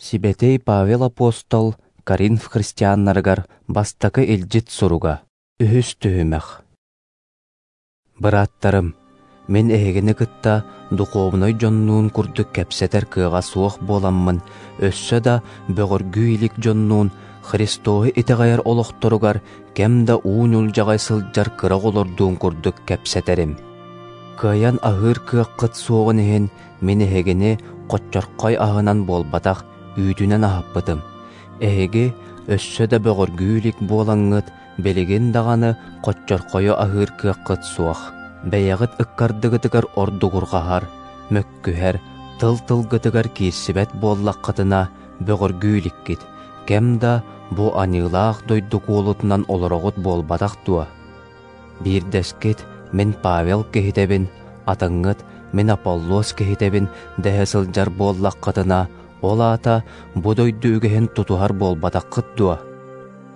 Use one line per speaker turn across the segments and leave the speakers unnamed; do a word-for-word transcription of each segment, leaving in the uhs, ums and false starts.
Сибэтиэй Павел апостол Коринф христианнарыгар бастакы илдьит суруга, үһүс түһүмэх. Бырааттарым, мин эһигини кытта духовнай дьоннуун курдук кэпсэтэр кыаҕа суох буоламмын, өссө да бөҕөргүү илик дьоннуун Христоһу итэҕэйэр олохторугар кэм да уу ньулдьаҕай сылдьар кыра оҕолордуун курдук кэпсэтэрим. Кыайан аһыыр кыаххыт суоҕун иһин мин эһигини хоччорхой аһынан буолбатах, үүтүнэн аһаппытым. Эһиги өссө да бөҕөргүү илик буолаҥҥыт, билигин даҕаны хоччорхойу аһыыр кыаххыт суох. Бэйэҕит ыккардыгытыгар ордугурҕаһар, мөккүһэр, тыл-тылгытыгар киирсибэт буоллаххытына бөҕөргүү иликкит. Кэм да бу аньыылаах дойду куолутунан олороҕут буолбатах дуо? Биирдэскит мин Павел киһитэбин, атыҥҥыт мин Аполлос киһитэбин дэһэ сылдьар буоллаххытына, ол аата бу дойду үгэһин тутуһар буолбатаххыт дуо?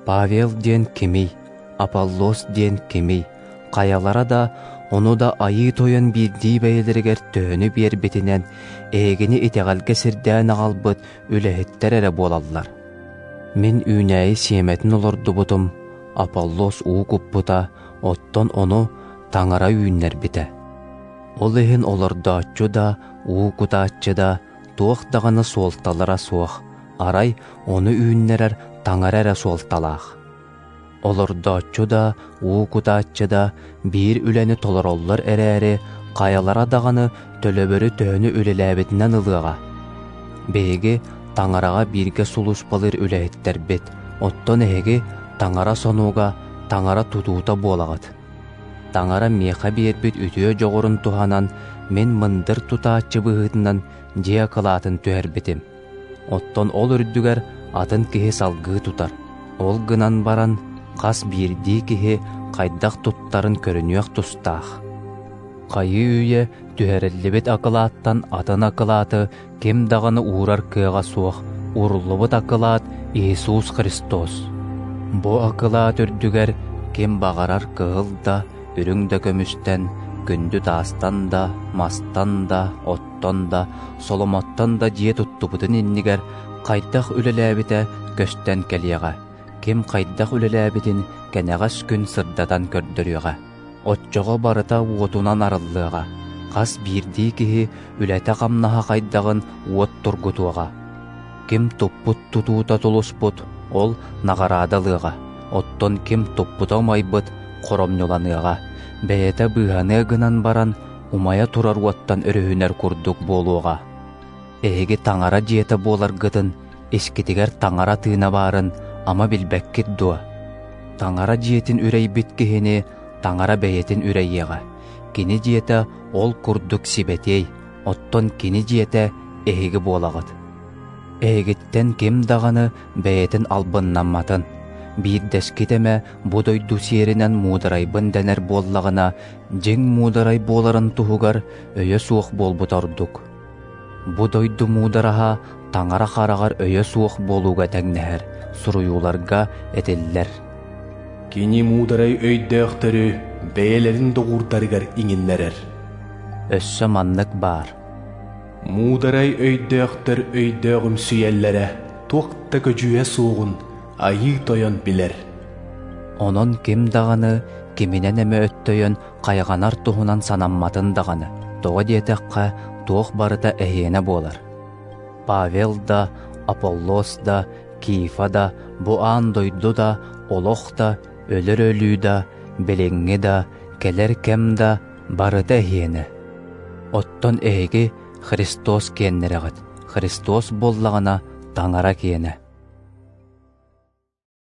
Павел диэн кимий, Аполлос диэн кимий? Хайалара да, ону да айыы тойон биирдии бэйэлэригэр төһөнү биэрбитинэн, эһигини итэҕэлгэ сирдээн аҕалбыт үлэһиттэр эрэ буолаллар. Мин үүнээйи сиэмэтин олордубутум, Аполлос уу куппута, оттон ону Таҥара үүннэрбитэ. Ол иһин олордооччу да, уу кутааччы да, туох даҕаны суолталара суох, арай ону үүннэрэр Таҥара эрэ суолталаах. Олордооччу да, уу кутааччы да биир үлэни толороллор эрээри, хайалара даҕаны төлөбөрү төһөнү үлэлээбитинэн ылыаҕа. Биһиги Таҥараҕа бииргэ сулууспалыыр үлэһиттэрбит, оттон эһиги Таҥара сонуга, Таҥара тутуута буолаҕыт. Таҥара миэхэ биэрбит үтүө дьоҕурун туһанан, мин мындыр тутааччы быһыытынан дьиэ акылаатын түһэрбитим. Оттон ол үрдүгэр атын киһи салгыы тутар. Ол гынан баран, хас биирдии киһи хайдах туттарын көрүнүөх тустаах. Хайыы үйэ түһэриллибит акылааттан атын акылааты ким даҕаны уурар кыаҕа суох, ууруллубут акылаат Иисус Христос. Бу акылаат үрдүгэр ким баҕарар кыһыл да, үрүҥ да көмүстэн, күндү таастан да, мастан да, оттон да, соломоттон да дьиэ туттубутун иннигэр хайдах үлэлээбитэ көстөн кэлиэҕэ. Ким хайдах үлэлээбитин кэнэҕэс күн сырдатан көрдөрүөҕэ. Оччоҕо барыта уотунан арыллыаҕа. Хас биирдии киһи үлэтэ-хамнаһа хайдаҕын уот тургутуоҕа. Ким туппут тутуута тулуспут, ол наҕараадалыаҕа. Оттон ким туппута умайбыт, хоромньуланыаҕа. Бэйэтэ быыһаныа гынан баран, умайа турар уоттан өрүһүнэр курдук буолуоҕа. Эһиги Таҥара дьиэтэ буоларгытын, искитигэр Таҥара тыына баарын ама билбэккит дуо? Таҥара дьиэтин үрэйбит киһини Таҥара бэйэтин үрэйиэҕэ. Кини дьиэтэ ол курдук сибэтиэй, оттон кини дьиэтэ эһиги буолаҕыт. Эһигиттэн ким даҕаны бэйэтин албыннамматын. Биирдэскит эмэ бу дойду сиэринэн муударайбын дэнэр буоллаҕына, дьиҥ муударай буоларын туһугар өйө суох буолбута ордук. Бу дойду муудараһа Таҥара хараҕар өйө суох буолууга тэҥнэһэр, суруйууларга этиллэр.
Кини муударай өйдөөхтөрү бэйэлэрин доҕуурдарыгар иҥиннэрэр.
Өссө маннык баар.
Муударай өйдөөхтөр өйдөөҕүмсүйэллэрэ туох да көдьүүһэ суоҕун айыы тойон билэр.
Онон ким даҕаны киминэн эмэ өттөйөн хайҕанар туһунан санамматын даҕаны, тоҕо диэтэххэ туох барыта эһиэнэ буолар. Павел да, Аполлос да, Кифа да, бу аан дойду да, олох да, өлөр өлүү да, билиҥҥи да, кэлэр кэм да барыта эһиэнэ. Оттон эһиги Христос киэннэрэҕит, Христос буоллаҕына Таҥара киэнэ.